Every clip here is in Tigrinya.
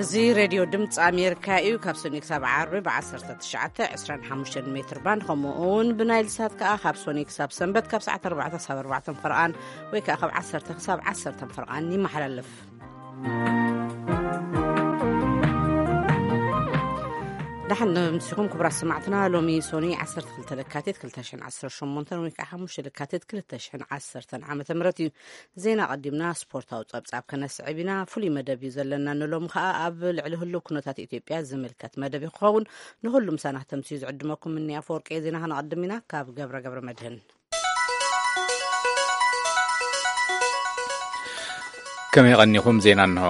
እዚ ሬድዮ ድምፂ ኣሜሪካ እዩ። ካብ ሰኒ ክሳብ ዓርቢ ብ19፣ 25 ሜትር ባንድ፣ ከምኡ እውን ብናይል ሳት ከዓ ካብ ሰኒ ክሳብ ሰንበት ካብ ሰዓት 4 ክሳብ 4 ፈርቓን ወይ ከዓ ካብ 10 ክሳብ 10 ፈርቓን ይመሓላለፍ። ደሓን ምሲኹም ክቡራት ሰማዕትና። ሎሚ ሶኒ 12 ለካቲት 2018 ወይ ከዓ 5 ለካቲት 2010 ዓመተ ምህረት እዩ። ዜና ቀዲምና ስፖርታዊ ጸብጻብ ከነስዕብ ኢና። ፍሉይ መደብ እዩ ዘለና ንሎም ከኣ ኣብ ልዕሊ ህሉው ኩነታት ኢትዮጵያ ዝምልከት መደብ ክኸውን። ንኹሉ ምሳና ክተምስዩ ዝዕድመኩም እኒ ኣፈወርቂ። ዜና ከነቐድም ኢና። ካብ ገብረ ገብረ መድህን። ከመይ ቀኒኹም? ዜና እንሆ።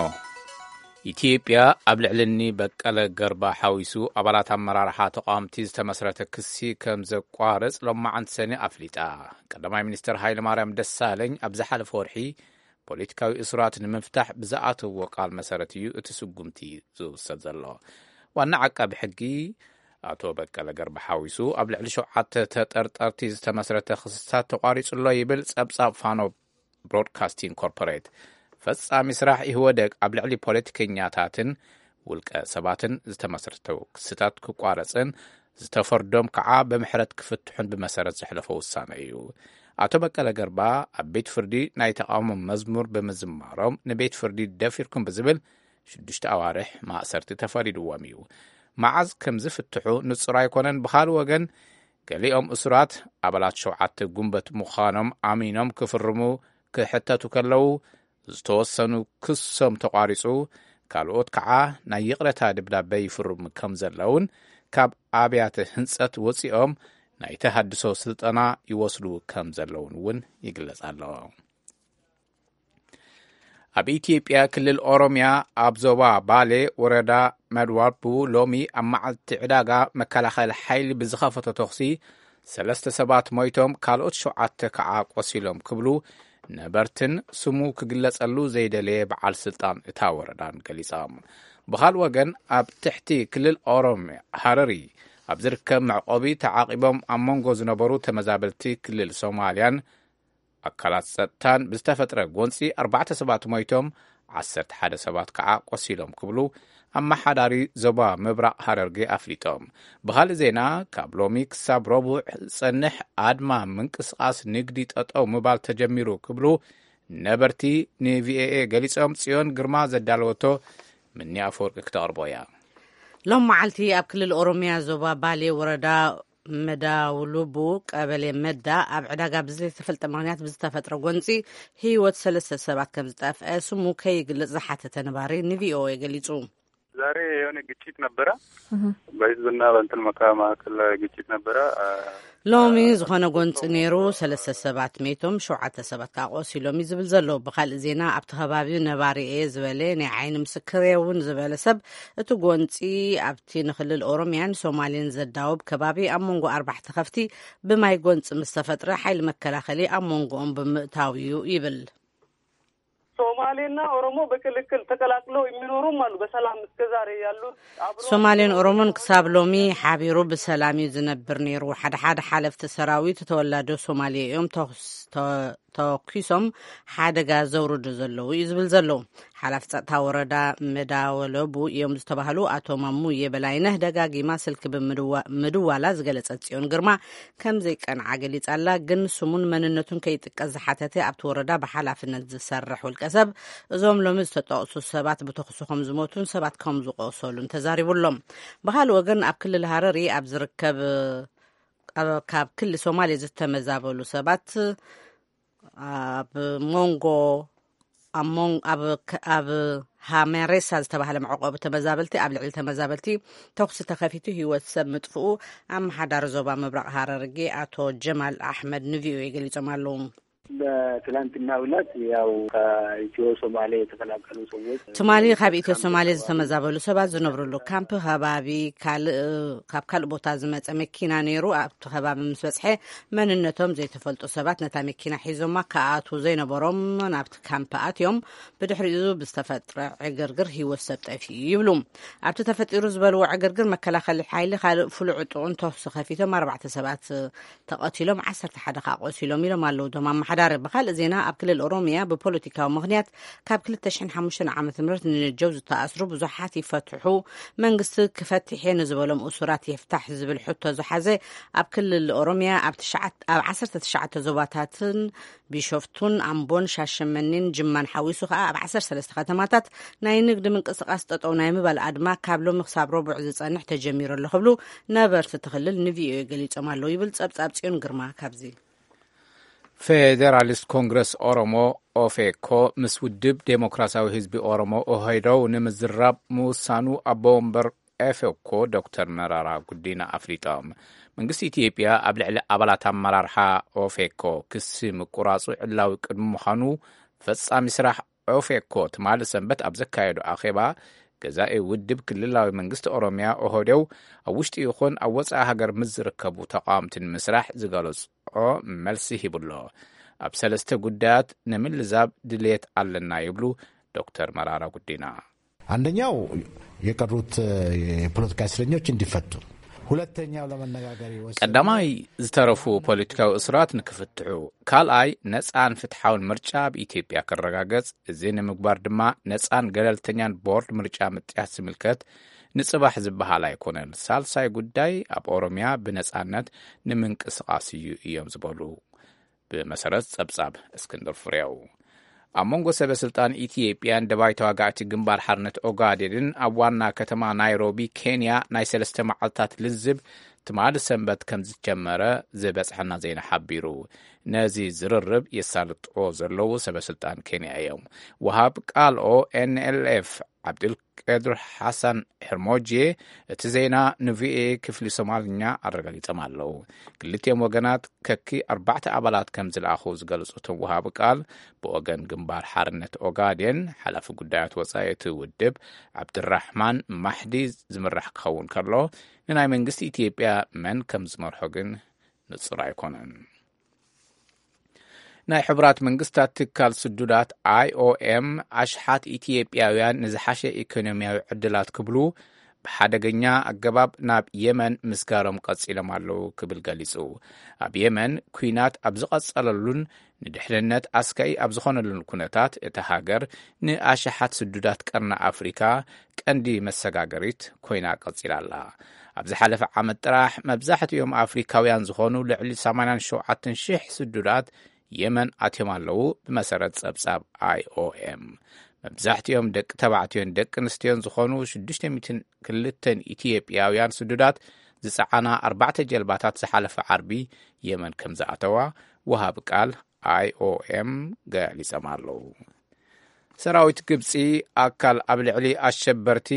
ኢትዮጵያ ኣብ ልዕሊ እኒ በቀለ ገርባ ሓዊሱ ኣባላት ኣመራርሓ ተቃወምቲ ዝተመስረተ ክሲ ከም ዘቋርጽ ሎማዓንቲ ሰኒ ኣፍሊጣ። ቀዳማይ ሚኒስትር ሃይለ ማርያም ደሳለኝ ኣብ ዝሓለፈ ወርሒ ፖለቲካዊ እሱራት ንምፍታሕ ብዝኣተዎ ቃል መሰረት እዩ እቲ ስጉምቲ ዝውሰድ ዘሎ። ዋና ዓቃቢ ሕጊ ኣቶ በቀለ ገርባ ሓዊሱ ኣብ ልዕሊ ሸውዓተ ተጠርጠርቲ ዝተመስረተ ክስታት ተቋሪጹ ኣሎ ይብል ጸብጻብ ፋኖ ብሮድካስቲንግ ኮርፖሬት። ፈጻሚ ስራሕ ኢህወደግ ኣብ ልዕሊ ፖለቲከኛታትን ውልቀ ሰባትን ዝተመስረተ ክስታት ክቋረጽን ዝተፈርዶም ከዓ ብምሕረት ክፍትሑን ብመሰረት ዘሕለፎ ውሳነ እዩ። ኣቶ በቀለ ገርባ ኣብ ቤት ፍርዲ ናይ ተቃውሞ መዝሙር ብምዝማሮም ንቤት ፍርዲ ደፊርኩም ብዝብል ሽዱሽተ ኣዋርሕ ማእሰርቲ ተፈሪድዎም እዩ። መዓዝ ከም ዝፍትሑ ንጹር ኣይኮነን። ብኻልእ ወገን፣ ገሊኦም እሱራት ኣባላት ሸውዓተ ጉንበት ምዃኖም ኣሚኖም ክፍርሙ ክሕተቱ ከለዉ፣ ዝተወሰኑ ክሶም ተቋሪጹ፣ ካልኦት ከዓ ናይ ይቕረታ ደብዳበ ይፍርሙ ከም ዘለውን፣ ካብ ኣብያተ ህንጸት ወጺኦም ናይ ተሃድሶ ስልጠና ይወስዱ ከም ዘለውን እውን ይግለጽ ኣሎ። ኣብ ኢትዮጵያ ክልል ኦሮሚያ ኣብ ዞባ ባሌ ወረዳ መድዋቡ ሎሚ ኣብ መዓልቲ ዕዳጋ መከላኸሊ ሓይሊ ብዝኸፈቶ ተኹሲ ሰለስተ ሰባት ሞይቶም፣ ካልኦት ሸውዓተ ከዓ ቆሲሎም ክብሉ ነበርትን ስሙ ክግለጸሉ ዘይደለየ በዓል ስልጣን እታ ወረዳን ገሊጾም። ብኻልእ ወገን፣ ኣብ ትሕቲ ክልል ኦሮሚያ ሃረሪ ኣብ ዝርከብ መዕቆቢ ተዓቂቦም ኣብ መንጎ ዝነበሩ ተመዛበልቲ ክልል ሶማልያን ኣካላት ጸጥታን ብዝተፈጥረ ጎንጺ ኣርባዕተ ሰባት ሞይቶም፣ ዓሰርተ ሓደ ሰባት ከዓ ቆሲሎም ክብሉ ኣመሓዳሪ ዞባ ምብራቕ ሃረርጌ ኣፍሊጦም። ብኻልእ ዜና፣ ካብ ሎሚ ክሳብ ረቡዕ ዝጸንሕ ኣድማ ምንቅስቓስ ንግዲ ጠጠው ምባል ተጀሚሩ ክብሉ ነበርቲ ንቪኦኤ ገሊጾም። ጽዮን ግርማ ዘዳለወቶ ምኒ ኣፈወርቂ ክተቕርቦ እያ። ሎም መዓልቲ ኣብ ክልል ኦሮሚያ ዞባ ባሌ ወረዳ መዳውሉቡ ቀበሌ መዳ ኣብ ዕዳጋ ብዘይተፈልጠ ምኽንያት ብዝተፈጥረ ጎንፂ ህይወት ሰለስተ ሰባት ከም ዝጠፍአ ስሙ ከይግልጽ ዝሓተተ ነባሪ ንቪኦኤ ገሊጹ። ዛሬ የሆነ ግጭት ነበረ። በህዝብና በእንትን መካ-፣ መካከል ግጭት ነበረ። አ፣ ሎሚ አ፣ ዝኾነ ጎንፂ ነይሩ። ሰለስተ ሰባት ሜቶም፣ ሸውዓተ ሰባት ከዓ ቆሲሎም እዩ ዝብል ዘሎ። ብካልእ ዜና፣ ኣብቲ ከባቢ ነባሪ እየ ዝበለ ናይ ዓይኒ ምስክር እየ እውን ዝበለ ሰብ፣ እቲ ጎንፂ ኣብቲ ንክልል ኦሮሚያን ሶማሌን ዘዳውብ ከባቢ ኣብ መንጎ ኣርባዕተ ከፍቲ ብማይ ጎንፂ ምስ ተፈጥረ፣ ሓይሊ መከላኸሊ ኣብ መንጎኦም ብምእታው እዩ ይብል። ሶማሌና ኦሮሞ በክልክል ተቀላቅለው የሚኖሩም አሉ፣ በሰላም እስከ ዛሬ ያሉት አብሮ ሶማሌን ኦሮሞን ክሳብ ሎሚ ሓቢሩ ብሰላም እዩ ዝነብር ነይሩ። ሓደ ሓደ ሓለፍቲ ሰራዊት ተወላዶ ሶማሌ እዮም፣ ተኹስ-፣ ተ-፣ ተኩሶም ሓደጋ ዘውርዱ ዘለዉ እዩ ዝብል ዘለዉ። ሓላፊ ጸጥታ ወረዳ መዳወለቡ እዮም ዝተባህሉ ኣቶ ማሙዬ በላይነህ ደጋጊማ ስልኪ ብምድዋ-፣ ምድዋላ ዝገለጸት ጽዮን ግርማ፣ ከም ዘይቀንዓ ገሊጻ ኣላ። ግን ስሙን መንነቱን ከይጥቀስ ዝሓተተ ኣብቲ ወረዳ ብሓላፍነት ዝሰርሕ ውልቀ ሰብ፣ እዞም ሎሚ ዝተጠቕሱ ሰባት ብተኹሲ ከም ዝሞቱን ሰባት ከም ዝቆሰሉን ተዛሪቡ ኣሎ። ብኻልእ ወገን፣ ኣብ ክልል ሃረሪ ኣብ ዝርከብ፣ ኣብ፣ ካብ ክሊ ሶማሌ ዝተመዛበሉ ሰባት ኣብ መንጎ፣ ኣብ ሞን-፣ ኣብ ከ-፣ ኣብ ሃመሬሳ ዝተባህለ መዕቆቢ ተመዛበልቲ፣ ኣብ ልዕሊ ተመዛበልቲ ተኹሲ ተኸፊቱ ህይወት ሰብ ምጥፍኡ ኣመሓዳሪ ዞባ ምብራቕ ሃረርጌ ኣቶ ጀማል ኣሕመድ ንቪኦኤ ገሊጾም ኣለዉ። በትላንትናው ዕለት ያው ከኢትዮ ሶማሌ የተፈናቀሉ ሰዎች ትማሊ ካብ ኢትዮ ሶማሌ ዝተመዛበሉ ሰባት ዝነብርሉ ካምፕ ከባቢ ካልእ፣ ካብ ካልእ ቦታ ዝመጸ መኪና ነይሩ። ኣብቲ ከባቢ ምስ በጽሐ፣ መንነቶም ዘይተፈልጡ ሰባት ነታ መኪና ሒዞማ ክኣትዉ ዘይነበሮም ናብቲ ካምፕ ኣትዮም። ብድሕሪኡ ብዝተፈጥረ ዕግርግር ህይወት ሰብ ጠፊኡ ይብሉ። ኣብቲ ተፈጢሩ ዝበልዎ ዕግርግር መከላኸሊ ሓይሊ ካልእ ፍሉይ ዕጡቕን ተኹሲ ከፊቶም ኣርባዕተ ሰባት ተቐቲሎም፣ ዓሰርተ ሓደ ከዓ ቆሲሎም ኢሎም ኣለዉ እቶም ኣመሓዳሪ። ብኻልእ ዜና፣ ኣብ ክልል ኦሮሚያ ብፖለቲካዊ ምኽንያት ካብ ክልተ ሽሕን ሓሙሽተን ዓመተ ምህረት ንጀው ዝተኣስሩ ብዙሓት ይፈትሑ፣ መንግስቲ ክፈትሕ እየ ንዝበሎም እሱራት የፍታሕ ዝብል ሕቶ ዝሓዘ፣ ኣብ ክልል ኦሮሚያ ኣብ ትሽዓት-፣ ኣብ ዓሰርተ ትሽዓተ ዞባታትን ቢሾፍቱን ኣምቦን ሻሸመኔን ጅማን ሓዊሱ ከኣ ኣብ ዓሰርተ ሰለስተ ከተማታት ናይ ንግዲ ምንቅስቓስ ጠጠው ናይ ምባል ኣድማ ካብ ሎሚ ክሳብ ረቡዕ ዝጸንሕ ተጀሚሩ ኣሎ ክብሉ ነበርቲ እቲ ክልል ንቪኦኤ ገሊጾም ኣለዉ ይብል ጸብጻብ ጽዮን ግርማ። ካብዚ ፌዴራሊስት ኮንግረስ ኦሮሞ፣ ኦፌኮ፣ ምስ ውድብ ዴሞክራሲያዊ ህዝቢ ኦሮሞ፣ ኦህዴድ፣ ንምዝራብ ምውሳኑ ኣቦ ወንበር ኦፌኮ ዶክተር መራራ ጉዲና ኣፍሊጦም። መንግስቲ ኢትዮጵያ ኣብ ልዕሊ ኣባላት ኣመራርሓ ኦፌኮ ክሲ ምቁራጹ ዕላዊ ቅድሚ ምዃኑ፣ ፈጻሚ ስራሕ ኦፌኮ ትማሊ ሰንበት ኣብ ዘካየዶ ኣኼባ፣ ገዛኢ ውድብ ክልላዊ መንግስቲ ኦሮሚያ፣ ኦህዴድ፣ ኣብ ውሽጢ ይኹን ኣብ ወጻኢ ሃገር ምስ ዝርከቡ ተቃወምቲ ንምስራሕ ዝገለጾ መልሲ ሂቡሎ። ኣብ ሰለስተ ጉዳያት ንምልዛብ ድልየት ኣለና ይብሉ ዶክተር መራራ ጉዲና። አንደኛው የቀሩት የፖለቲካ እስረኞች እንዲፈቱ፣ ሁለተኛው ለመነጋገር የወሰነው ቀዳማይ፣ ዝተረፉ ፖለቲካዊ እስራት ንክፍትሑ፣ ካልኣይ፣ ነጻን ፍትሓውን ምርጫ ኣብ ኢትዮጵያ ክረጋገጽ፣ እዚ ንምግባር ድማ ነጻን ገለልተኛን ቦርድ ምርጫ ምጥያስ ዝምልከት ንጽባሕ ዝበሃል ኣይኮነን። ሳልሳይ ጉዳይ፣ ኣብ ኦሮሚያ ብነጻነት ንምንቅስቓስ እዩ እዮም ዝበሉ። ብመሰረት ጸብጻብ እስክንድር ፍሬው። ኣብ መንጎ ሰበ ስልጣን ኢትዮጵያን ደባይ ተዋጋእቲ ግንባር ሓርነት ኦጋዴንን ኣብ ዋና ከተማ ናይሮቢ ኬንያ ናይ ሰለስተ መዓልታት ልዝብ ትማሊ ሰንበት ከም ዝጀመረ ዝበጽሐና ዜና ሓቢሩ። ነዚ ዝርርብ የሳልጥዎ ዘለዉ ሰበ ስልጣን ኬንያ እዮም። ወሃብ ቃል ኦ ኤን ኤል ኤፍ ዓብዱል ቀድር ሓሳን ሕርሞጄ እቲ ዜና ንቪኦኤ ክፍሊ ሶማልኛ ኣረጋጊጾም ኣለዉ። ክልቲኦም ወገናት ከኪ ኣርባዕተ ኣባላት ከም ዝለኣኹ ዝገለጹ እቶም ወሃቢ ቃል፣ ብወገን ግንባር ሓርነት ኦጋዴን ሓላፊ ጉዳያት ወጻኢ እቲ ውድብ ዓብድራሕማን ማሕዲ ዝምራሕ ክኸውን ከሎ፣ ንናይ መንግስቲ ኢትዮጵያ መን ከም ዝመርሖ ግን ንጹር ኣይኮነን። ናይ ሕቡራት መንግስታት ትካል ስዱዳት፣ ኣይ ኦ ኤም፣ ኣሽሓት ኢትዮጵያውያን ንዝሓሸ ኢኮኖሚያዊ ዕድላት ክብሉ ብሓደገኛ ኣገባብ ናብ የመን ምስጋሮም ቀጺሎም ኣለዉ ክብል ገሊጹ። ኣብ የመን ኲናት ኣብ ዝቐጸለሉን ንድሕንነት ኣስጋኢ ኣብ ዝኾነሉን ኩነታት፣ እታ ሃገር ንኣሽሓት ስዱዳት ቀርኒ ኣፍሪካ ቀንዲ መሰጋገሪት ኮይና ቀጺላ ኣላ። ኣብ ዝሓለፈ ዓመት ጥራሕ፣ መብዛሕትኦም ኣፍሪካውያን ዝኾኑ ልዕሊ ሰማንያን ሸውዓተን ሽሕ ስዱዳት የመን ኣትዮም ኣለዉ፣ ብመሰረት ጸብጻብ ኣይ ኦ ኤም። መብዛሕትኦም ደቂ ተባዕትዮን ደቂ ኣንስትዮን ዝኾኑ ሽዱሽተ ሚእትን ክልተን ኢትዮጵያውያን ስዱዳት ዝጸዓና ኣርባዕተ ጀልባታት ዝሓለፈ ዓርቢ የመን ከም ዝኣተዋ ወሃቢ ቃል ኣይ ኦ ኤም ገሊጾም ኣለዉ። ሰራዊት ግብጺ፣ ኣካል ኣብ ልዕሊ ኣሸበርቲ፣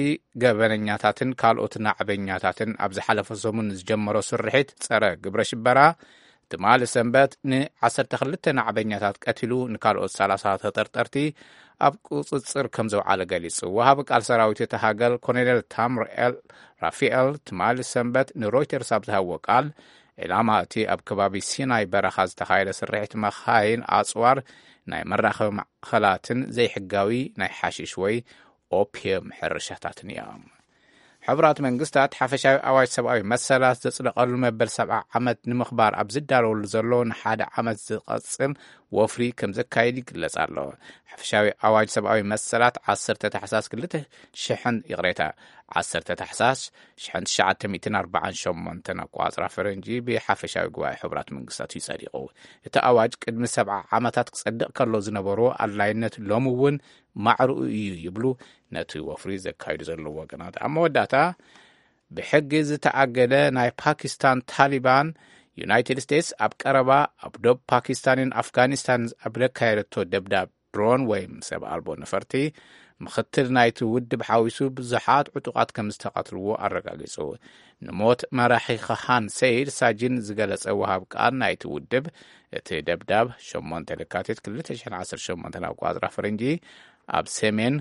ገበነኛታትን ካልኦት ናዕበኛታትን ኣብ ዝሓለፈ ሰሙን ዝጀመሮ ስርሒት ጸረ ግብረ ሽበራ፣ ትማሊ ሰንበት ንዓሰርተ ክልተ ናዕበኛታት ቀቲሉ፣ ንካልኦት ሰላሳ ተጠርጠርቲ ኣብ ቁጽጽር ከም ዘውዓለ ገሊጹ። ወሃቢ ቃል ሰራዊት እቲ ሃገር ኮሎኔል ታምር ኤል ራፊኤል ትማሊ ሰንበት ንሮይተርስ ኣብ ዝሃብዎ ቃል፣ ዒላማ እቲ ኣብ ከባቢ ሲናይ በረኻ ዝተኻየደ ስርሒት መኻይን፣ ኣጽዋር፣ ናይ መራኸቢ ማዕኸላትን ዘይሕጋዊ ናይ ሓሽሽ ወይ ኦፒየም ሕርሻታትን እዮም። ሕቡራት መንግስታት ሓፈሻዊ ኣዋጅ ሰብኣዊ መሰላት ዘጽደቐሉ መበል ሰብዓ ዓመት ንምኽባር ኣብ ዝዳለወሉ ዘሎ ንሓደ ዓመት ዝቐጽል ወፍሪ ከም ዘካይድ ይግለጽ ኣሎ። ሓፈሻዊ ኣዋጅ ሰብኣዊ መሰላት ዓሰርተ ታሕሳስ ክልተ ሽሕን፣ ይቕሬታ፣ ዓሰርተ ታሕሳስ ሽሕን ትሽዓተ ሚእትን ኣርባዓን ሸሞንተን ኣቋጽራ ፈረንጂ ብሓፈሻዊ ጉባኤ ሕቡራት መንግስታት እዩ ጸዲቑ። እቲ ኣዋጅ ቅድሚ ሰብዓ ዓመታት ክጸድቕ ከሎ ዝነበሮ ኣድላይነት ሎሚ እውን ማዕርኡ እዩ ይብሉ ነቲ ወፍሪ ዘካይዱ ዘለዉ ወገናት። ኣብ መወዳእታ፣ ብሕጊ ዝተኣገደ ናይ ፓኪስታን ታሊባን፣ ዩናይትድ ስቴትስ ኣብ ቀረባ ኣብ ዶብ ፓኪስታንን ኣፍጋኒስታን ኣብ ዘካየደቶ ደብዳብ ድሮን ወይም ሰብ ኣልቦ ነፈርቲ፣ ምኽትል ናይቲ ውድብ ሓዊሱ ብዙሓት ዕጡቓት ከም ዝተቐትልዎ ኣረጋጊጹ። ንሞት መራሒ ከሃን ሰይድ ሳጂን ዝገለጸ ወሃብ ቃል ናይቲ ውድብ፣ እቲ ደብዳብ ሸሞንተ ለካቲት ክልተ ሽሕን ዓሰርተ ሸሞንተን ኣቋጽራ ፈረንጂ ኣብ ሰሜን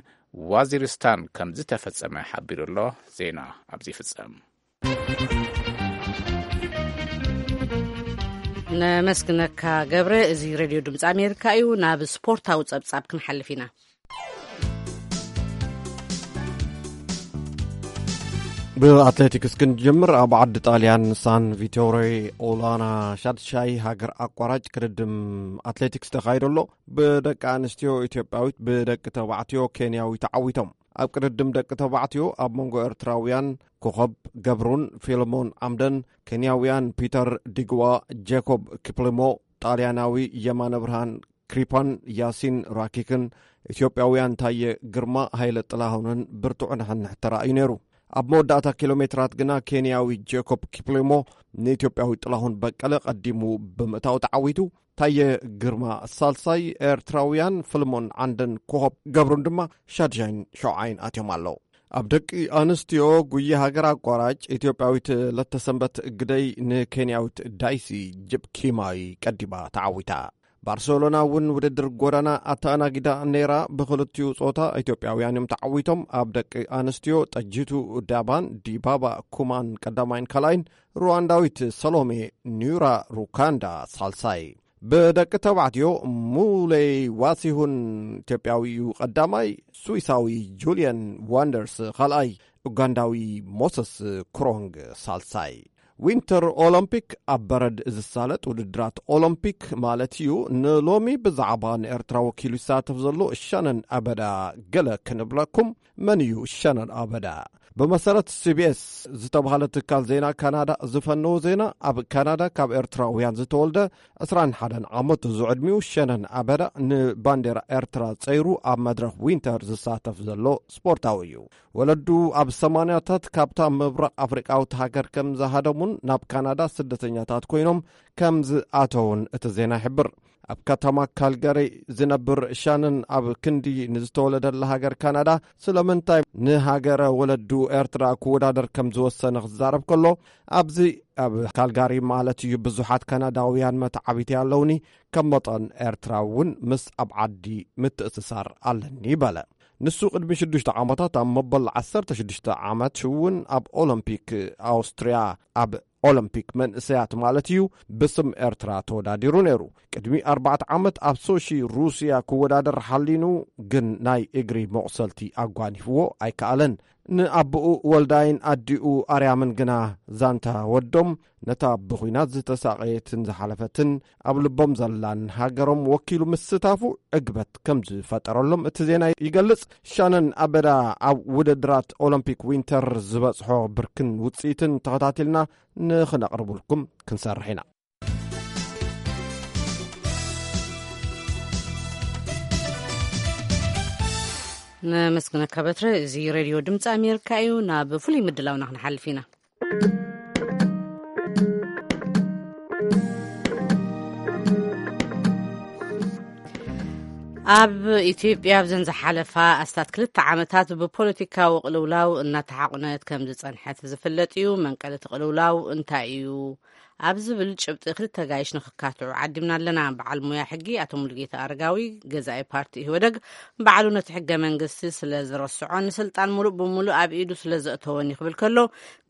ዋዚሪስታን ከም ዝተፈጸመ ሓቢሩ ኣሎ። ዜና ኣብዚ ይፍጸም። ነመስግነካ ገብረ። እዚ ሬድዮ ድምፂ ኣሜሪካ እዩ። ናብ ስፖርታዊ ጸብጻብ ክንሓልፍ ኢና። ብኣትሌቲክስ ክንጅምር፣ ኣብ ዓዲ ጣልያን ሳን ቪቶሬ ኦላና ሻድሻይ ሃገር ኣቋራጭ ቅድድም ኣትሌቲክስ ተኻይዶ ኣሎ። ብደቂ ኣንስትዮ ኢትዮጵያዊት፣ ብደቂ ተባዕትዮ ኬንያዊ ተዓዊቶም። ኣብ ቅድድም ደቂ ተባዕትዮ ኣብ መንጎ ኤርትራውያን ኮኸብ ገብሩን ፊልሞን ዓምደን፣ ኬንያውያን ፒተር ዲግዋ፣ ጄኮብ ኪፕሊሞ፣ ጣልያናዊ የማነ ብርሃን ክሪፓን ያሲን ራኪክን፣ ኢትዮጵያውያን ታየ ግርማ፣ ሃይለ ጥላሁንን ብርቱዕ ንሕንሕ ተራእዩ ነይሩ። ኣብ መወዳእታ ኪሎ ሜትራት ግና ኬንያዊ ጄኮብ ኪፕሊሞ ንኢትዮጵያዊ ጥላሁን በቀለ ቀዲሙ ብምእታው ተዓዊቱ። ታየ ግርማ ሳልሳይ፣ ኤርትራውያን ፍልሞን ዓንደን ኮኸብ ገብሩን ድማ ሻድሻይን ሸውዓይን ኣትዮም ኣለዉ። ኣብ ደቂ ኣንስትዮ ጉያ ሃገር ኣቋራጭ፣ ኢትዮጵያዊት ለተሰንበት ግደይ ንኬንያዊት ዳይሲ ጅፕኪማይ ቀዲማ ተዓዊታ። ባርሰሎና እውን ውድድር ጎዳና ኣተኣናጊዳ ነይራ። ብኽልቲኡ ጾታ ኢትዮጵያውያን እዮም ተዓዊቶም። ኣብ ደቂ ኣንስትዮ ጠጂቱ ዳባን ዲባባ ኩማን ቀዳማይን ካልኣይን፣ ሩዋንዳዊት ሰሎሜ ኒራ ሩካንዳ ሳልሳይ። ብደቂ ተባዕትዮ ሙሌይ ዋሲሁን ኢትዮጵያዊ እዩ ቀዳማይ፣ ስዊሳዊ ጁልየን ዋንደርስ ካልኣይ፣ ኡጋንዳዊ ሞሰስ ክሮንግ ሳልሳይ። ዊንተር ኦሎምፒክ ኣብ በረድ ዝሳለጥ ውድድራት ኦሎምፒክ ማለት እዩ። ንሎሚ ብዛዕባ ንኤርትራ ወኪሉ ይሳተፍ ዘሎ ሸነን ኣበዳ ገለ ክንብለኩም። መን እዩ ሸነን ኣበዳ? ብመሰረት ሲቢኤስ ዝተባህለ ትካል ዜና ካናዳ ዝፈነዎ ዜና፣ ኣብ ካናዳ ካብ ኤርትራውያን ዝተወልደ ዕስራን ሓደን ዓመቱ ዝዕድሚኡ ሸነን ኣበዳ ንባንዴራ ኤርትራ ጸይሩ ኣብ መድረኽ ዊንተር ዝሳተፍ ዘሎ ስፖርታዊ እዩ። ወለዱ ኣብ ሰማንያታት ካብታ ምብራቕ ኣፍሪቃዊት ሃገር ከም ዝሃደሙን ናብ ካናዳ ስደተኛታት ኮይኖም ከም ዝኣተውን እቲ ዜና ይሕብር። ኣብ ከተማ ካልጋሪ ዝነብር ሻነን፣ ኣብ ክንዲ ንዝተወለደላ ሃገር ካናዳ ስለምንታይ ንሃገረ ወለዱ ኤርትራ ክወዳደር ከም ዝወሰነ ክዛረብ ከሎ፣ ኣብዚ ኣብ ካልጋሪ ማለት እዩ ብዙሓት ካናዳውያን መተዓቢቲ ኣለውኒ፣ ከም መጠን ኤርትራ እውን ምስ ኣብ ዓዲ ምትእስሳር ኣለኒ በለ። ንሱ ቅድሚ ሽዱሽተ ዓመታት ኣብ መበል ዓሰርተ ሽዱሽተ ዓመት እውን ኣብ ኦሎምፒክ ኣውስትርያ፣ ኣብ ኦሎምፒክ መንእሰያት ማለት እዩ፣ ብስም ኤርትራ ተወዳዲሩ ነይሩ። ቅድሚ ኣርባዕተ ዓመት ኣብ ሶሺ ሩስያ ክወዳደር ሓሊኑ፣ ግን ናይ እግሪ መቑሰልቲ ኣጓኒፍዎ ኣይከኣለን። ንኣቦኡ ወልዳይን ኣዲኡ ኣርያምን ግና ዛንታ ወዶም፣ ነታ ብኹናት ዝተሳቐየትን ዝሓለፈትን ኣብ ልቦም ዘላን ሃገሮም ወኪሉ ምስታፉ ዕግበት ከም ዝፈጠረሎም እቲ ዜና ይገልጽ። ሻነን ኣበዳ ኣብ ውድድራት ኦሎምፒክ ዊንተር ዝበጽሖ ብርክን ውጽኢትን ተኸታቲልና ንኽነቕርብልኩም ክንሰርሕ ኢና። ነመስግነካ በትረ። እዚ ሬድዮ ድምፂ ኣሜሪካ እዩ። ናብ ፍሉይ ምድላውና ክንሓልፍ ኢና። ኣብ ኢትዮጵያ ኣብዘን ዝሓለፋ ኣስታት ክልተ ዓመታት ብፖለቲካዊ ቅልውላው እናተሓቑነት ከም ዝጸንሐት ዝፍለጥ እዩ። መንቀሊ እቲ ቅልውላው እንታይ እዩ? ኣብ ዝብል ጭብጢ ክልተ ጋይሽ ንክካትዑ ዓዲምና ኣለና። በዓል ሞያ ሕጊ ኣቶ ሙሉጌታ ኣረጋዊ፣ ገዛኢ ፓርቲ ኢህወደግ፣ ባዕሉ ነቲ ሕገ መንግስቲ ስለ ዝረስዖ፣ ንስልጣን ሙሉእ ብሙሉእ ኣብ ኢዱ ስለ ዘእተወን እዩ ክብል ከሎ፣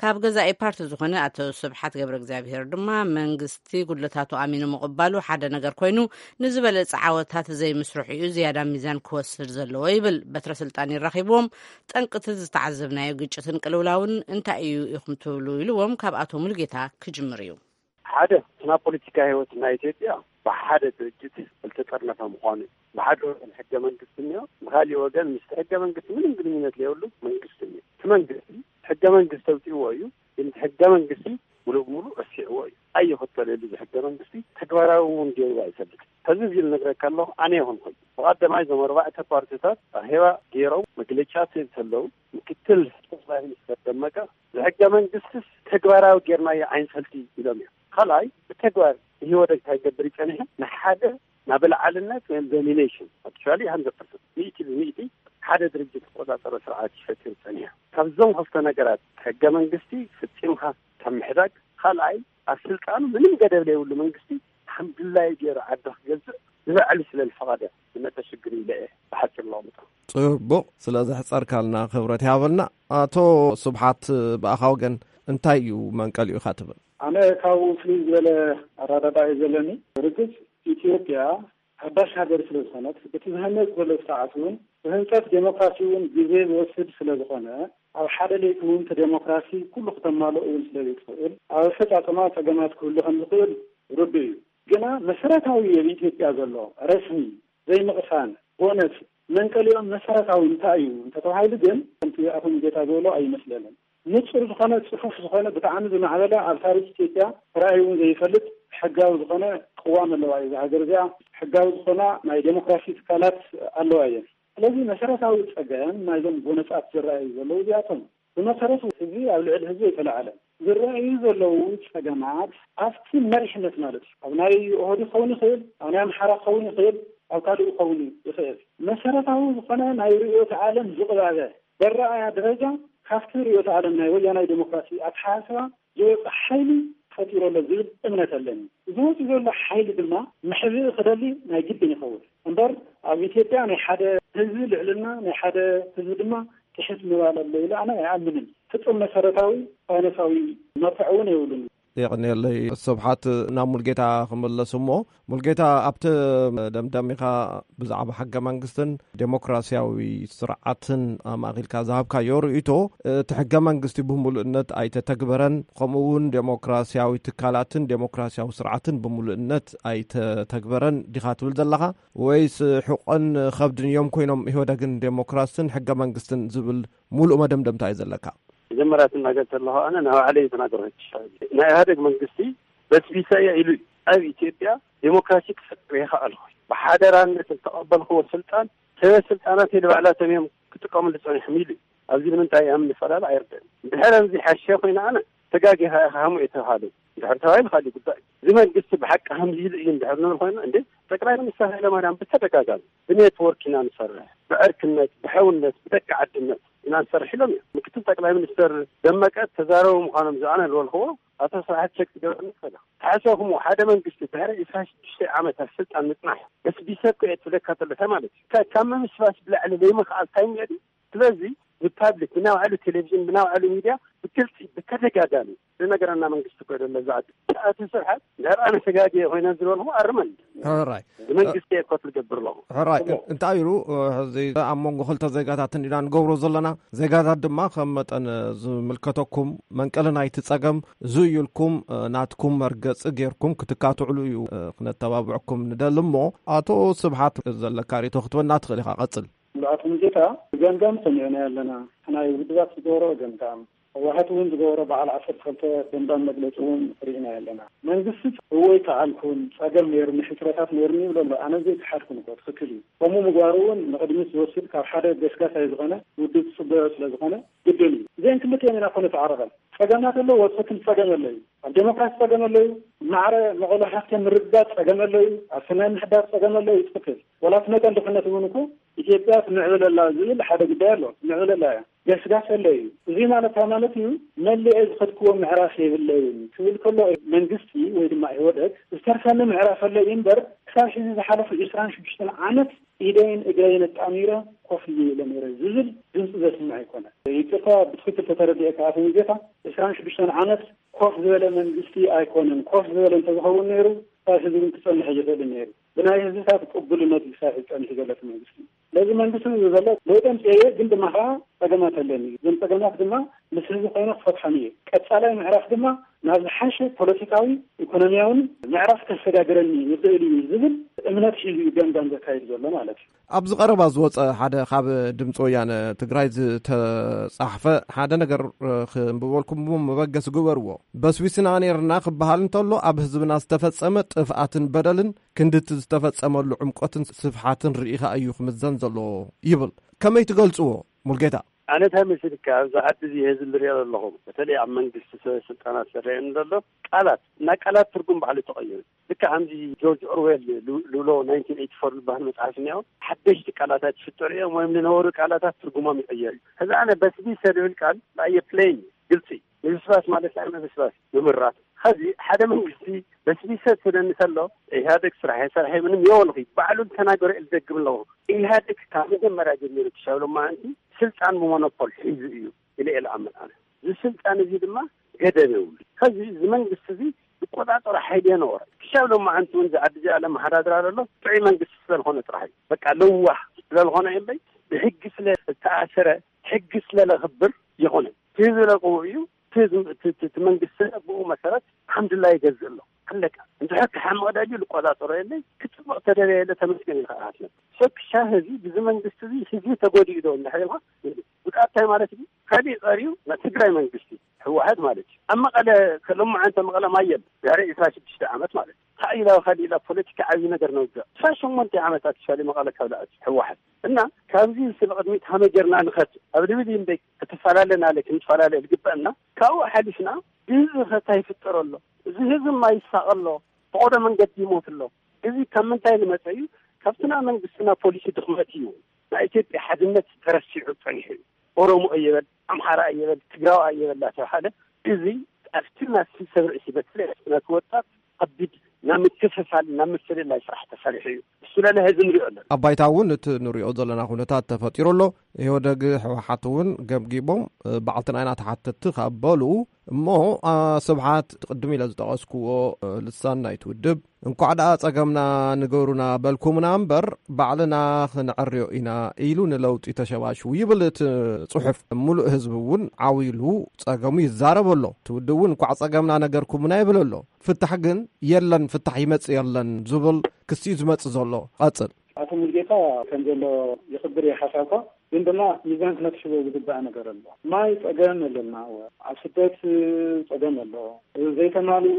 ካብ ገዛኢ ፓርቲ ዝኾነ ኣቶ ስብሓት ገብረ እግዚኣብሄር ድማ፣ መንግስቲ ጉድለታቱ ኣሚኑ ምቕባሉ ሓደ ነገር ኮይኑ፣ ንዝበለጸ ዓወታት ዘይምስርሑ እዩ ዝያዳ ሚዛን ክወስድ ዘለዎ ይብል። በትረ ስልጣን ይራኺብዎም፣ ጠንቅቲ ዝተዓዘብናዮ ግጭትን ቅልውላውን እንታይ እዩ ኢኹም ትብሉ? ኢልዎም ካብ ኣቶ ሙሉጌታ ክጅምር እዩ። ሓደ፣ ናብ ፖለቲካ ህይወት ናይ ኢትዮጵያ ብሓደ ድርጅት ዝተጠርነፈ ምዃኑ እዩ። ብሓደ ወገን ሕገ መንግስቲ እኒኦ፣ ብኻሊእ ወገን ምስቲ ሕገ መንግስቲ ምንም ግንኙነት ዘይብሉ መንግስቲ እኒኦ። እቲ መንግስቲ ሕገ መንግስቲ ተውፅእዎ እዩ፣ ግን እቲ ሕገ መንግስቲ ሙሉእ ብሙሉእ ረሲዕዎ እዩ። ኣይኽተለሉ እዚ ሕገ መንግስቲ ተግባራዊ እውን ገይሩ ኣይፈልጥን። ሕዚ እዚ ዝነግረካ ኣለኹ ኣነ ይኹን ኮይኑ ብቐዳማይ እዞም ኣርባዕተ ፓርቲታት ኣኼባ ገይሮም መግለጫ ዝህብ ከለዉ ምክትል ጠቕላይ ሚኒስትር ደመቀ ብሕገ መንግስትስ ተግባራዊ ጌርናዮ ኣይንፈልጥ ኢሎም እዮም። ካልኣይ ብተግባር ኢህወደግ እንታይ ይገብር ይጸኒሑ ንሓደ ናብ ላዕልነት ወይም ዶሚኔሽን ኣክቹዋሊ ሃንድረድ ፐርሰንት ሚእቲ ብሚእቲ ሓደ ድርጅት ዝቆጻጸሮ ስርዓት ይፈጥር ጸኒሑ። ካብዞም ክልተ ነገራት ሕገ መንግስቲ ፍጺምካ ካብ ምሕዳግ ካልኣይ ኣብ ስልጣኑ ምንም ገደብ ዘይብሉ መንግስቲ ከም ድላዩ ገይሩ ዓዲ ክገዝእ ንባዕሉ ስለ ዝፈቐደ ዝመፀ ሽግር ኢለ እየ ብሓፂር ለቕምጦ። ጽቡቕ ስለ ዘሕጸርካልና ክብረት ይሃበልና። ኣቶ ስብሓት ብኣኻ ወገን እንታይ እዩ መንቀሊኡ ኢኻ ትብል? ኣነ ካብኡ ፍልይ ዝበለ ኣረዳዳ እዩ ዘለኒ። ርግጽ ኢትዮጵያ ሓዳሽ ሃገር ስለ ዝኾነት እቲ ዝህነጽ ዘሎ ስርዓት እውን ብህንጸት ዴሞክራሲ እውን ግዜ ዝወስድ ስለ ዝኾነ ኣብ ሓደ ለይቲ እውን እቲ ዴሞክራሲ ኩሉ ክተማልኦ እውን ስለ ዘይትኽእል፣ ኣብ ኣፈጻጸማ ጸገማት ክህሉ ከም ዝኽእል ርዱእ እዩ። ግና መሰረታዊ ኣብ ኢትዮጵያ ዘሎ ረስሚ ዘይምቕሳን፣ ጎነጽ፣ መንቀሊኦም መሰረታዊ እንታይ እዩ እንተተባሂሉ ግን፣ ከምቲ ኣቶ ሙሉጌታ ዝበሎ ኣይመስለንን። ንጹር ዝኾነ፣ ጽፉፍ ዝኾነ፣ ብጣዕሚ ዝማዕበለ፣ ኣብ ታሪኽ ኢትዮጵያ ተራእዩ እውን ዘይፈልጥ ሕጋዊ ዝኾነ ቅዋም ኣለዋ እዛ ሃገር እዚኣ። ሕጋዊ ዝኾና ናይ ዴሞክራሲ ትካላት ኣለዋ እየን። ስለዚ መሰረታዊ ጸገም ናይዞም ጎነጻት ዝረኣዩ ዘለዉ እዚኣቶም፣ ብመሰረቱ ህዝቢ ኣብ ልዕሊ ህዝቢ ኣይተላዓለን። ዝረኣዩ ዘለዉ ጸገማት ኣብቲ መሪሕነት ማለት እዩ። ኣብ ናይ ኦህዴድ ክኸውን ይኽእል፣ ኣብ ናይ ኣምሓራ ክኸውን ይኽእል፣ ኣብ ካልእ ክኸውን ይኽእል። መሰረታዊ ዝኾነ ናይ ርእዮተ ዓለም ዝቕባበ፣ በረኣያ ደረጃ ካብቲ ርእዮተ ዓለም ናይ ወያናይ ዴሞክራሲ ኣተሓሳስባ ዝወጽእ ሓይሊ ተፈጢሩ ኣሎ ዝብል እምነት ኣለኒ። እዚ ወፂኡ ዘሎ ሓይሊ ድማ መሕብኢ ክደሊ ናይ ግድን ይኸውን እምበር፣ ኣብ ኢትዮጵያ ናይ ሓደ ህዝቢ ልዕልና፣ ናይ ሓደ ህዝቢ ድማ ትሕት ምባል ኣሎ ኢለ ኣነ ኣይኣምንን። ፍጹም መሰረታዊ ሳይንሳዊ መርትዖ እውን የብሉን። የቐንየለይ። ስብሓት፣ ናብ ሙልጌታ ክምለስ እሞ፣ ሙልጌታ፣ ኣብቲ ደምዳሚኻ ብዛዕባ ሕገ መንግስትን ዴሞክራሲያዊ ስርዓትን ኣማእኺልካ ዝሃብካዮ ርእይቶ፣ እቲ ሕገ መንግስቲ ብምሉእነት ኣይተተግበረን፣ ከምኡ እውን ዴሞክራሲያዊ ትካላትን ዴሞክራሲያዊ ስርዓትን ብምሉእነት ኣይተተግበረን ዲኻ ትብል ዘለኻ? ወይስ ሕቆን ከብድን እዮም ኮይኖም ኢህወደግን ዴሞክራስን ሕገ መንግስትን ዝብል ሙሉእ መደምደምታ እዩ ዘለካ? መጀመርያ ትናገር ከለኻ ኣነ ንባዕለይ እየ ተናገርኩ። ናይ ኢህወደግ መንግስቲ በስቢሰ እየ ኢሉ እዩ። ኣብ ኢትዮጵያ ዴሞክራሲ ክፈጥር ይኽእል ኮይኑ ብሓደራነት ዝተቐበልክዎ ስልጣን ሰበ ስልጣናት ንባዕላቶም እዮም ክጥቀምሉ ጸኒሖም ኢሉ እዩ። ኣብዚ ንምንታይ እዮም ንፈላለ ኣይርድእን። ድሕሪ እዚ ሓሸ ኮይኑ ኣነ ተጋጊኻ ኢኻ ሃሙ እየ ተባሃለ። ድሕሪ ተባሂሉ ካልእ ጉዳይ። እዚ መንግስቲ ብሓቂ ከምዚ ኢሉ እዩ እንድሕር ንብል ኮይና፣ እንዴ፣ ጠቅላይ ሚኒስትር ሃይለማርያም ብተደጋጋሚ ብኔትወርክ ኢና ንሰርሕ፣ ብዕርክነት፣ ብሕውነት፣ ብደቂ ዓድነት ኢና ንሰርሕ ኢሎም እዮም። ምክትል ጠቅላይ ሚኒስትር ደመቀ ተዛረቡ ምዃኖም ዝኣነ ዝበልክዎ ኣቶ ስብሓት ቸክ ክገብረኒ ይኽእል። ተሓሰብኩሞ ሓደ መንግስቲ ድሕሪ ዕስራን ሽዱሽተን ዓመታት ስልጣን ምጽናሕ በስቢሰ እኮ እየ ትብለካ ተሎ እንታይ ማለት እዩ? ካብ ምብስባስ ብላዕሊ ዘይምኽኣል እንታይ እኒኦ ድዩ? ስለዚ ብፓብሊክ ብናይ ባዕሉ ቴሌቪዥን ብናይ ባዕሉ ሚድያ ብግልፂ ብተደጋጋሚ ዝነገረና መንግስቲ እኮ የለን። ዛዕባ ኣቶ ስብሓት እንድሕር ኣነ ተጋግየ ኮይነ ዝበልኩ ኣርመን ሕራይ። ብመንግስቲ እየ ኮት ዝገብር ኣለኹ። ሕራይ። እሞ እንታይ ኢሉ፣ ሕዚ ኣብ መንጎ ክልተ ዜጋታትን ኢና ንገብሮ ዘለና። ዜጋታት ድማ ከም መጠን ዝምልከተኩም መንቀሊ ናይቲ ጸገም እዚ እዩ ኢልኩም ናትኩም መርገጺ ጌርኩም ክትካትዕሉ እዩ ክነተባብዐኩም ንደሊ። እሞ ኣቶ ስብሓት ዘለካ ርእይቶ ክትበና ትኽእል ኢኻ። ቀጽል። ኣቶ ሙሉጌታ፣ ገምጋም ሰሚዕና ኣለና። ናይ ውድባት ዝገብሮ ገምጋም፣ ህወሓት እውን ዝገበሮ በዓል ዓሰርተ ክልተ ገምጋም መግለፂ እውን ርኢና ኣለና። መንግስቲ እወ ኣይከኣልኩን፣ ፀገም ነይሩኒ፣ ሕፅረታት ነይሩኒ ይብሎ ኣሎ። ኣነ ዘይከሓድኩን እኮ፣ ትኽክል እዩ። ከምኡ ምግባሩ እውን ንቕድሚት ዝወስድ ካብ ሓደ ገስጋሳይ ዝኾነ ውድብ ዝፅበዮ ስለ ዝኾነ ግድን እዩ። እዚአን ክልቲአን ኢና እኮ ነተዓረቐን። ጸገማት ኣለዎ፣ ትኽክል፣ ጸገም ኣሎ እዩ። ኣብ ዴሞክራሲ ጸገም ኣሎ እዩ። ማዕረ መቐሎ ሃፍቲ ምርግጋጽ ጸገም ኣሎ እዩ። ኣብ ሰናይ ምሕዳር ጸገም ኣሎ እዩ፣ ትኽክል። ዋላ እቲ መጠን ድኽነት እውን እኮ ኢትዮጵያ ትምዕብል ኣላ ዝብል ሓደ ጉዳይ ኣሎ። ትምዕብል ኣላ እያ። ገስጋስ ኣሎ እዩ። እዚ ማለት እንታይ ማለት እዩ? መሊኤ ዝኸድክዎ ምዕራፍ የብለይን ክብል ከሎ መንግስቲ ወይ ድማ ኢህወደግ ዝተርፈኒ ምዕራፍ ኣሎ እዩ እምበር ክሳብ ሕዚ ዝሓለፉ ዕስራን ሽዱሽተን ዓመት ኢደይን እግረይን ኣጣሚረ ኮፍ ኢለ ነይረ ዝብል ድምፂ ዘስምዕ ኣይኮነን። ይቅርታ ብትኽክል ተተረዲኤካ ኣቶ ሙሉጌታ፣ ዕስራን ሽዱሽተን ዓመት ኮፍ ዝበለ መንግስቲ ኣይኮነን። ኮፍ ዝበለ እንተዝኸውን ነይሩ፣ ክሳብ ሕዚ እውን ክጸንሕ ኣይኽእልን ነይሩ። ብናይ ህዝብታት ቅቡልነት እዩ ክሳብ ሕዚ ጸኒሑ ዘሎ እቲ መንግስቲ። ስለዚ መንግስቲ ዝብሎ ለውጢ ኣምፅኤ እየ፣ ግን ድማ ከዓ ጸገማት ኣለኒ። እዞም ጸገማት ድማ ምስ ህዝቢ ኮይነ ክፈትሖም እየ። ቀጻላይ ምዕራፍ ድማ ናብ ዝሓሸ ፖለቲካዊ፣ ኢኮኖሚያውን ምዕራፍ ከሰጋግረኒ ይኽእል እዩ ዝብል እምነት ሒዙ እዩ ገምጋም ዘካይድ ዘሎ ማለት እዩ። ኣብዚ ቀረባ ዝወጸ ሓደ ካብ ድምፂ ወያነ ትግራይ ዝተጻሕፈ ሓደ ነገር፣ እ፣ ክንብበልኩም እሞ መበገሲ ግበርዎ። በስቢስና ነይርና ክበሃል እንተሎ ኣብ ህዝብና ዝተፈጸመ ጥፍኣትን በደልን ክንድቲ ዝተፈጸመሉ ዕምቆትን ስፍሓትን ርኢኻ እዩ ክምዘን ዘለዎ ይብል። ከመይ ትገልጽዎ ሙልጌታ? ኣነ እንታይ መሲልካ ኣብዚ ዓዲ እዚ ህዝቢ ዝሪኦ ዘለኹም በተለይ ኣብ መንግስቲ ሰበ ስልጣናት ዝረአየኒ ዘሎ ቃላት እና ቃላት ትርጉም ባዕሉ ተቐይሩ። ልክዕ ከምዚ ጆርጅ ኦርዌል ሉ-፣ ሉሎ ናይንቲን ኤይቲ ፎር ዝበሃል መጽሓፍ እኒኦ፣ ሓደሽቲ ቃላታት ይፍጠሩ እዮም ወይም ዝነበሩ ቃላታት ትርጉሞም ይቕየር እዩ። ሕዚ ኣነ በስቢሰ ዝብል ቃል ብኣየ ፕሌን ግልጺ፣ ምብስባስ ማለት ናይ ምብስባስ ምምራት። ሕዚ ሓደ መንግስቲ በስቢሰ ትብለኒ ከሎ ኢህኣደግ ስራሕ የሰርሐ ምንም የወልኺ ባዕሉ ዝተናገረ እየ ዝደግም ኣለኹ። ኢህኣደግ ካብ መጀመርያ ጀሚሩ ክሻብ ሎማዓንቲ ስልጣን ብሞኖፖል ሒዙ እዩ ኢለ እየ ዝኣምን ኣነ። እዚ ስልጣን እዚ ድማ ገደብ የብሉ። ሕዚ እዚ መንግስቲ እዚ ዝቆጻጸሮ ሓይሊ የነበረ። ክሻብ ሎማዓንቲ እውን እዚ ዓዲ እዚኣ ለመሓዳድራ ዘሎ ጥዑይ መንግስቲ ስለዝኾነ ጥራሕ እዩ። በቃ ለዋህ ስለዝኾነ እዩ እምበይ ብሕጊ ስለ ዝተኣሰረ ሕጊ ስለለኽብር ይኾነ። እቲ ህዝቢ ለቅዎ እዩ። እቲ ህዝቢ፣ እቲ፣ እቲ፣ እቲ መንግስቲ ብኡ መሰረት ሓምድላ ይገዝእ ኣሎ። ኣለቀ። እንድሕር ክሓምቕ ደልዩ ልቆጻጸሮ የለይ፣ ክጽብቕ ተደልየ የለ፣ ተመስገን ኢልካ ኢኻ ትነብር። ሸክሻ ህዝቢ፣ ብዚ መንግስቲ እዚ ህዝቢ ተጎዲኡ ዶ እንድሕር ኢልካ፣ ጉድኣት እንታይ ማለት እዩ? ካሊእ ቀሪዩ ናይ ትግራይ መንግስቲ፣ ህወሓት ማለት እዩ። ኣብ መቐለ ከ-፣ ሎማዓንቲ መቐለ ማይ የለን። ድሕሪ ዕስራ ሽዱሽተ ዓመት ማለት እዩ። ካሊእ ኢላ፣ ካሊእ ኢላ ፖለቲካ ዓብዪ ነገር ነውግዕ። ዕስራ ሸሞንተ ዓመታት ሻሊ መቐለ ካብ ደኣት ህወሓት። እና ካብዚ ስለ ቅድሚት ሃመ ጌርና ንኸድ ኣብ ልብል እምበይ ክትፈላለና ኣለ ክንፈላለ ዝግበአና። ካብኡ ሓሊፍና እዚ ኸታ ይፍጠር ኣሎ። እዚ ህዝቢ ማይ ይሳቕ ኣሎ። ብቆዶ መንገዲ ይሞት ኣሎ። እዚ ካብ ምንታይ ዝመጸ እዩ? ካብቲ ናይ መንግስትና ፖሊሲ ድኽመት እዩ። ናይ ኢትዮጵያ ሓድነት ተረሲዑ ጸኒሑ እዩ። ኦሮሞ እየበል፣ ኣምሓራ እየበል፣ ትግራዋ እየበል እናተባሃለ፣ እዚ ኣብቲ ናቲ ሰብ ርእሲ በተለይ ኣብቲ ናቲ ወጣት ከቢድ ናብ ምክፍፋል፣ ናብ ምፍልላይ ስራሕ ተሰሪሑ እዩ። እሱ ለለ ህዝቢ ንሪኦ ኣለና። ኣብ ባይታ እውን እቲ ንሪኦ ዘለና ኩነታት ተፈጢሩ ኣሎ። ኢህወደግ፣ ህወሓት እውን ገምጊቦም፣ እ፣ ባዕልትና ኢና ተሓተትቲ ካብ በሉ እሞ፣ ኣ፣ ስብሓት፣ ቅድም ኢለ ዝጠቐስክዎ፣ እ፣ ልሳን ናይቲ ውድብ፣ እንኳዕ ደኣ ጸገምና ንገሩና በልኩምና እምበር፣ ባዕልና ክንዕርዮ ኢና ኢሉ ንለውጢ ተሸባሽቡ ይብል እቲ ጽሑፍ። ምሉእ ህዝቢ እውን ዓው ኢሉ ጸገሙ ይዛረብ ኣሎ። እቲ ውድብ እውን እንኳዕ ጸገምና ነገርኩምና ይብል ኣሎ። ፍታሕ ግን የለን፣ ፍታሕ ይመጽእ የለን ዝብል ክሲ እዩ ዝመጽእ ዘሎ። ቀጽል። ኣቶ ሙሉጌታ ከም ዘሎ ይኽብር እየ ሓሳብካ፣ ግን ድማ ሚዛን ክነትሕዞ ዝግባእ ነገር ኣሎ። ማይ ጸገም ኣለና፣ ኣብ ስደት ጸገም ኣሎ። ዘይተማልኡ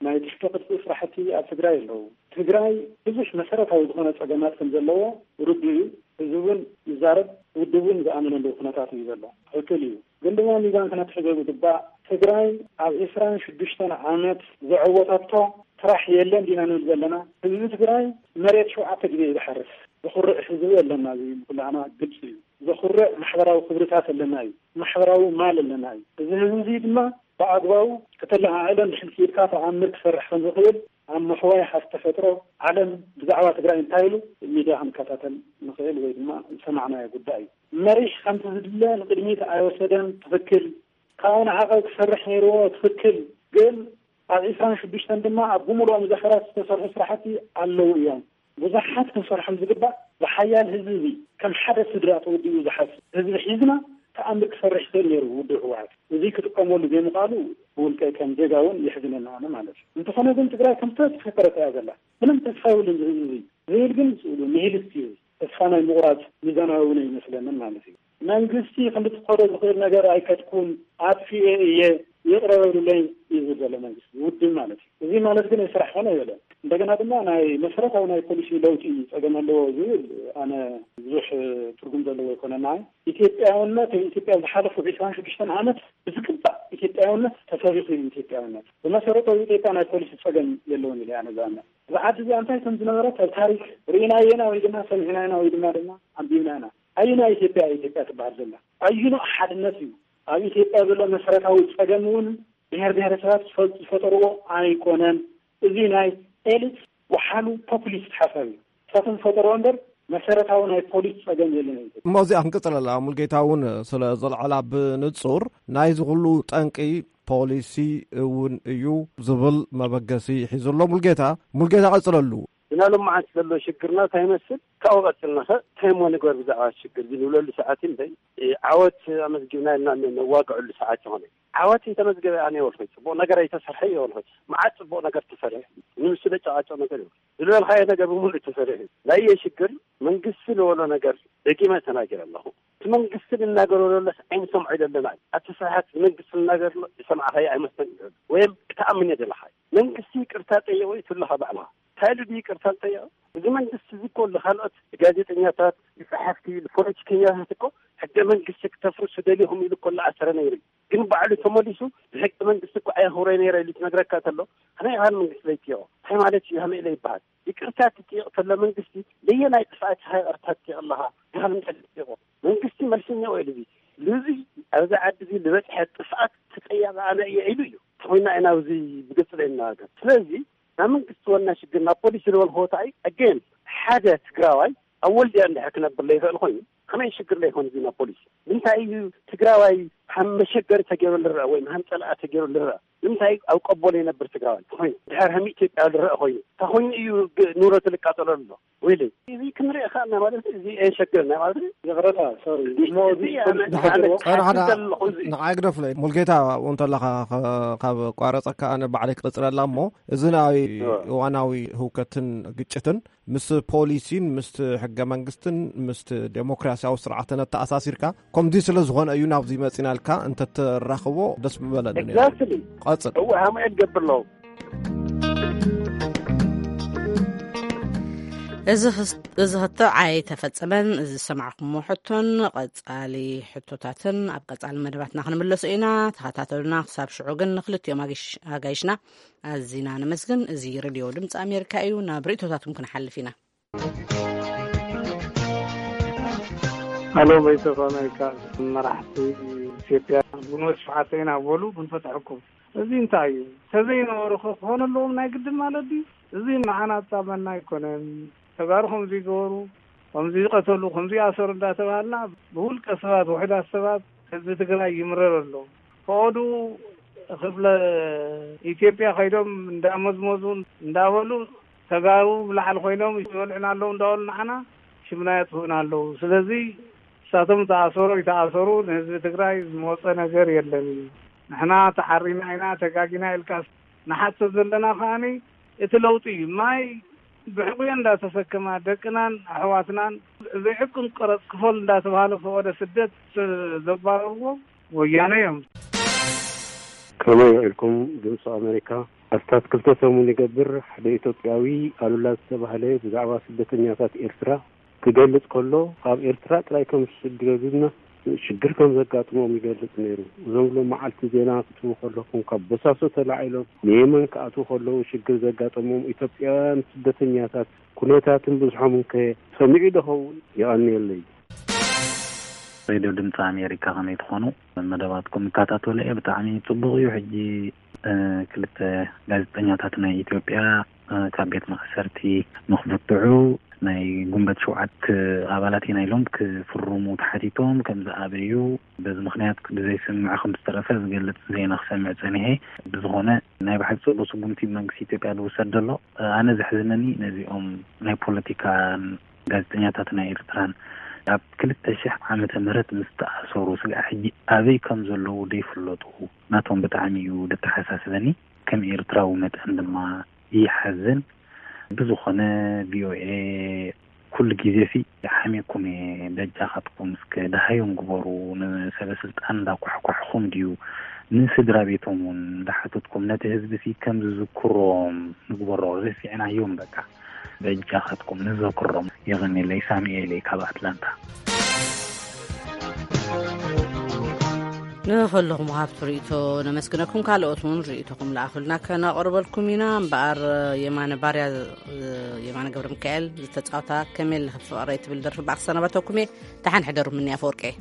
ናይ ትሕተ ቅርጺ ስራሕቲ ኣብ ትግራይ ኣለዉ። ትግራይ ብዙሕ መሰረታዊ ዝኾነ ጸገማት ከም ዘለዎ ርዱእ እዩ። ህዝቢ እውን ይዛረብ፣ ውድብ እውን ዝኣመነሉ ኩነታት እዩ ዘሎ። ትኽክል እዩ። ግን ድማ ሚዛን ክነትሕዞ ዝግባእ፣ ትግራይ ኣብ ዕስራን ሽዱሽተን ዓመት ዘዐወተቶ ስራሕ የለን ዲና ንብል ዘለና? ህዝቢ ትግራይ መሬት ሸውዓተ ግዜ እዩ ዝሓርስ። ዘኹርዕ ህዝቢ ኣለና፣ እዚ ንኩላህና ግልፂ እዩ። ዘኹርዕ ማሕበራዊ ክብርታት ኣለና እዩ። ማሕበራዊ ማል ኣለና እዩ። እዚ ህዝቢ እዚ ድማ ብኣግባቡ ከተለዓዕሎ እንድሕር ክኢልካ ተኣምር ክሰርሕ ከም ዝኽእል ኣብ ምሕዋይ ሃፍቲ ተፈጥሮ ዓለም ብዛዕባ ትግራይ እንታይ ኢሉ ሚድያ ክንከታተል ንኽእል ወይ ድማ ዝሰማዕናዮ ጉዳይ እዩ። መሪሕ ከምቲ ዝድለ ንቅድሚት ኣይወሰደን፣ ትኽክል። ካብኡ ንዓቐብ ክሰርሕ ነይርዎ፣ ትኽክል። ግን ኣብ ዕስራን ሽዱሽተን ድማ ኣብ ብምሉኦም ዘፈራት ዝተሰርሑ ስራሕቲ ኣለዉ እዮም። ብዙሓት ክንሰርሖም ዝግባእ ብሓያል ህዝቢ እዚ ከም ሓደ ስድራ ተወዲኡ ዝሓስብ ህዝቢ ሒዝና ተኣምር ክሰርሕ ይኽእል ነይሩ ውድብ ህወሓት። እዚ ክጥቀመሉ ዘይምኽኣሉ ብውልቀይ ከም ዜጋ እውን የሕዝነኒ ኣነ ማለት እዩ። እንተኾነ ግን ትግራይ ከም ዝተፈጠረት እያ ዘላ። ምንም ተስፋ የብሉን እዚ ህዝቢ እዚ ዝብል ግን ስእሉ ኒሂሊስት እዩ። ተስፋ ናይ ምቑራጽ ሚዛናዊ እውን ኣይመስለንን ማለት እዩ። መንግስቲ ክንዲ ክኸዶ ዝኽእል ነገር ኣይከድኩን፣ ኣጥፊኤ እየ፣ ይቕረ በሉለይ እዩ ዝብል ዘሎ መንግስቲ፣ ውድብ ማለት እዩ። እዚ ማለት ግን ስራሕ ኮነ ኣይበለን። እንደገና ድማ ናይ መሰረታዊ ናይ ፖሊሲ ለውጢ ጸገም ኣለዎ ዝብል ኣነ ብዙሕ ትርጉም ዘለዎ ኣይኮነን። ናይ ኢትዮጵያውነት፣ ኢትዮጵያ ዝሓለፉ ዕስራን ሽዱሽተን ዓመት ብዝግባእ ኢትዮጵያውነት ተሰቢኹ እዩ። ኢትዮጵያውነት ብመሰረታዊ ኢትዮጵያ ናይ ፖሊሲ ጸገም የለውን ኢለ ኣነ ዝኣምን። እዛ ዓዲ እዚኣ እንታይ ከም ዝነበረት ኣብ ታሪክ ርኢናዮ ኢና ወይ ድማ ሰሚዕና ኢና ወይ ድማ ድማ ኣንቢብና ኢና። ኣየናይ ኢትዮጵያ ኢትዮጵያ ትበሃል ዘላ? ኣየናይ ሓድነት እዩ? ኣብ ኢትዮጵያ ዘሎ መሰረታዊ ጸገም እውን ብሔር ብሔረሰባት ዝፈ-፣ ዝፈጠርዎ ኣይኮነን። እዚ ናይ ኤሊት ወሓሉ ፖፑሊስት ሓሳብ እዩ። ንሳቶም ዝፈጠርዎ እምበር መሰረታዊ ናይ ፖሊስ ጸገም የለን። እሞ እዚኣ ክንቅጽለላ፣ ሙልጌታ እውን ስለ ዘልዓላ ብንጹር ናይዚ ኩሉ ጠንቂ ፖሊሲ እውን እዩ ዝብል መበገሲ ሒዙ ኣሎ። ሙልጌታ፣ ሙልጌታ ቀጽለሉ። ግና ሎማዓንቲ ዘሎ ሽግርና እንታይ ይመስል? ካብኡ ቀጽልናኸ እንታይ እሞ ንግበር ብዛዕባ ሽግር እዚ ንብለሉ ሰዓት እምበይ፣ እ፣ ዓወት ኣመዝጊብና ኢልና ን-፣ ነዋግዐሉ ሰዓት ይኾነ። ዓወት እንተመዝገበ ኣነ ይወልኸይ፣ ጽቡቕ ነገር ኣይተሰርሐ ይወልኸይ። መዓት ጽቡቕ ነገር ተሰርሐ። ንምሱ ለጨቓጨቕ ነገር ይወልኸይ። ዝለልኻዮ ነገር ብምሉእ ተሰርሑ። ናየ ሽግር መንግስቲ ዝበሎ ነገር ደጊመ ተናጊረ ኣለኹ። እቲ መንግስቲ ዝናገሮ ዘለስ ኣይንሰምዖ ኢለ ኣለና። ኣቲ ስራሓት መንግስቲ ዝናገር ዘሎ ዝሰማዕኻዮ ኣይመስለን እዩ። ወይም ክትኣምን እየ ዘለኻ። መንግስቲ ይቅርታ ጠየቆ እዩ ትብለኻ ባዕልኻ። እንታይ ኢሉ ድዩ ይቅርታ ዝጠየቀ? እዚ መንግስቲ እዚ እኮ ንኻልኦት ጋዜጠኛታት፣ ንጸሓፍቲ፣ ንፖለቲከኛታት እኮ ሕገ መንግስቲ ክተፍርሱ ደሊኹም ኢሉ እኮ እናኣሰረ ነይሩ እዩ። ግን ባዕሉ ተመሊሱ ብሕገ መንግስቲ እኮ ኣየኽብሮ ነይረ ኢሉ ትነግረካ ተሎ፣ ከመይ ኢኻ ንመንግስቲ ዘይትጥየቖ? እንታይ ማለት እዩ? ከመይ ኢለ ይበሃል? ይቅርታ ትጥየቕ ተሎ መንግስቲ፣ ለየናይ ጥፍኣት ኢኻ ይቅርታ ትጥየቕ ኣለኻ? ድኻ ንምንታይ ትጥየቖ? መንግስቲ መልሰኛ ወይ ልዚ፣ ልዚ ኣብዚ ዓዲ እዚ ዝበፅሐ ጥፍኣት ተጠያቂ ኣነ እየ ኢሉ እዩ። ተኾይና ኢና ኣብዚ ብግልፂ ዘይነጋገር። ስለዚ ናይ መንግስቲ ዋና ሽግር ናብ ፖሊስ ዝበልክዎ እንታይ? ኣገን ሓደ ትግራዋይ ኣብ ወልድያ እንድሕር ክነብር ዘይኽእል ኮይኑ ከመይ ሽግር ዘይኮን እዚ ናብ ፖሊስ? እንታይ እዩ ትግራዋይ ከም መሸገሪ ተገይሩ ልረአ ወይ ከም ፀላኢ ተገይሩ ልረአ? ንምንታይ ኣብ ቀቦ ዘይነብር ትግራዋይ ተኾይኑ ድሕር ከም ኢትዮጵያ ዝረአ ኮይኑ እንታይ ኮይኑ እዩ ግ- ንብረቱ ዝቃጸሎ ኣሎ? ወይለይ እዚ ክንርኢ ከኣና ማለት እዩ። እዚ ኣየሸግረና ማለት እዩ። ይቕረታ፣ ሶሪ። እዚ እሞ እዚ እዚ ኣነ- ዝፈልጥ ኣነ ዘለዎ? ሓደ ሓደ ኣክል ዘለኹ እዚ ንዓይ ግደፍለይ። ሙልጌታ፣ ኣብኡ እንተለኻ ከ- ካብ ቋረጸካ ኣነ ባዕለይ ክቕጽለላ እሞ፣ እዚ ናይ እዋ። እዋናዊ ህውከትን ግጭትን ምስ ፖሊሲን ምስ ሕገ መንግስትን ምስ ዴሞክራሲያዊ ስርዓትን ኣተኣሳሲርካ፣ ከምዚ ስለ ዝኾነ እዩ ናብዚ መጺናልካ፣ እንተትራኽቦ ደስ ምበለኒ ነይሩ። Exactly። ቀጽል። እወ፣ ሃማየት ገብር ኣለዉ። እዚ ክስ- እዚ ክትዕ ኣይተፈጸመን። እዚ ዝሰማዕኩሞ ሕቶን ቀጻሊ ሕቶታትን ኣብ ቀጻሊ መደባትና ክንምለሶ ኢና። ተኸታተሉና። ክሳብ ሽዑ ግን ንክልቲኦም ኣጋይሽ- ኣጋይሽና ኣዚና ነመስግን። እዚ ሬድዮ ድምፂ ኣሜሪካ እዩ። ናብ ርእቶታትኩም ክንሓልፍ ኢና። ኣሎ፣ ቮይስ ኦፍ ኣሜሪካ፣ መራሕቲ ኢትዮጵያ ግንቦት ሸውዓተ ኢና በሉ፣ ክንፈትሐኩም። እዚ እንታይ እዩ? ተዘይነበሩ ከ ክኾነ ኣለዎም ናይ ግድን ማለት ድዩ? እዚ ንዓና ኣጻመና ኣይኮነን። ተጋሩ ከምዚ ይገበሩ፣ ከምዚ ይቐተሉ፣ ከምዚ ይኣሰሩ እንዳተባሃልና ብውልቀ ሰባት፣ ውሑዳት ሰባት ህዝቢ ትግራይ ይምረር ኣሎ። ፈቐዱ ክፍለ ኢትዮጵያ ከይዶም እንዳመዝመዙ እንዳበሉ ተጋሩ ብላዕሊ ኮይኖም ይበልዑና ኣለዉ እንዳበሉ ንዓና ሽምና የጥፍኡና ኣለዉ። ስለዚ ንሳቶም ተኣሰሩ ይተኣሰሩ ንህዝቢ ትግራይ ዝመፀ ነገር የለን። ንሕና ተሓሪና ኢና ተጋጊና ኢልካ ንሓቶ ዘለና ከኣኒ እቲ ለውጢ እዩ። ማይ ብሕቑዮ እንዳተሰከማ ደቅናን ኣሕዋትናን ዘይሕቅን ቀረፅ ክፈል እንዳተባሃለ ፈቐደ ስደት ዘባረርዎ ወያነ እዮም። ከመይ ውዒልኩም ድምፂ ኣሜሪካ? ኣስታት ክልተ ሰሙን ይገብር ሓደ ኢትዮጵያዊ ኣሉላ ዝተባህለ ብዛዕባ ስደተኛታት ኤርትራ ክገልጽ ከሎ፣ ኣብ ኤርትራ ጥራይ ከም ዝስደዱና ሽግር ከም ዘጋጥሞም ይገልጽ ነይሩ። እዞም ሎም መዓልቲ ዜና ክትህቡ ከለኹም፣ ካብ ቦሳሶ ተላዒሎም ንየመን ክኣትዉ ከለዉ ሽግር ዘጋጠሞም ኢትዮጵያውያን ስደተኛታት ኩነታትን ብዝሖምን ከ ሰሚዑ ዶ ኸውን? የቐንየለይ። ሬድዮ ድምፂ ኣሜሪካ ከመይ ትኾኑ? መደባትኩም እከታተሎ እየ፣ ብጣዕሚ ጽቡቕ እዩ። ሕጂ፣ እ፣ ክልተ ጋዜጠኛታት ናይ ኢትዮጵያ፣ እ፣ ካብ ቤት ማእሰርቲ ንኽፍትሑ ናይ ጉንበት ሸውዓተ ኣባላት ኢና ኢሎም ክፍርሙ ተሓቲቶም ከም ዝኣበዩ፣ በዚ ምኽንያት ብዘይስምዕ ከም ዝተረፈ ዝገልጽ ዜና ክሰምዕ ጸኒሐ። ብዝኾነ ናይ ብሓቂ ጽቡቕ ስጉምቲ መንግስቲ ኢትዮጵያ ዝውሰድ ዘሎ። እ፣ ኣነ ዘሕዝነኒ ነዚኦም ናይ ፖለቲካን ጋዜጠኛታት ናይ ኤርትራን ኣብ ክልተ ሽሕ ዓመተ ምህረት ምስ ተኣሰሩ ስጋዕ ሕጂ ኣበይ ከም ዘለዉ ዘይፍለጡ ናቶም ብጣዕሚ እዩ ዘተሓሳስበኒ። ከም ኤርትራዊ መጠን ድማ ይሓዝን። ብዝኾነ ቪኦኤ ኩሉ ግዜ ሲ ሓሜኩም እየ፣ በጃኻትኩም እስከ ደሃዮም ግበሩ። ንሰበ ስልጣን እንዳኳሕኳሕኹም ድዩ ንስድራ ቤቶም እውን እንዳሓተትኩም ነቲ ህዝቢ ሲ ከም ዝዝክሮም ንግበሮ። ረሲዕናዮም በቃ። በጃኻትኩም ንዘክሮም። የቐንየለይ፣ ሳሙኤል እየ ካብ ኣትላንታ። ንኹልኹም ሃብቲ ርእይቶ ነመስግነኩም። ካልኦት እውን ርእይቶኹም ለኣኹልና ከነቕርበልኩም ኢና። እምበኣር የማነ ባርያ፣ የማነ ገብረ ሚካኤል ዝተጻወታ ከመይ ኣለኺ ፍቕረይ ትብል ደርፊ ብኣኽ ሰናበተኩም እየ። ደሓን ሕደሩ። ምንያ ኣፈወርቂ እየ።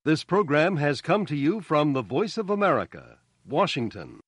This program has come to you from the Voice of America, Washington.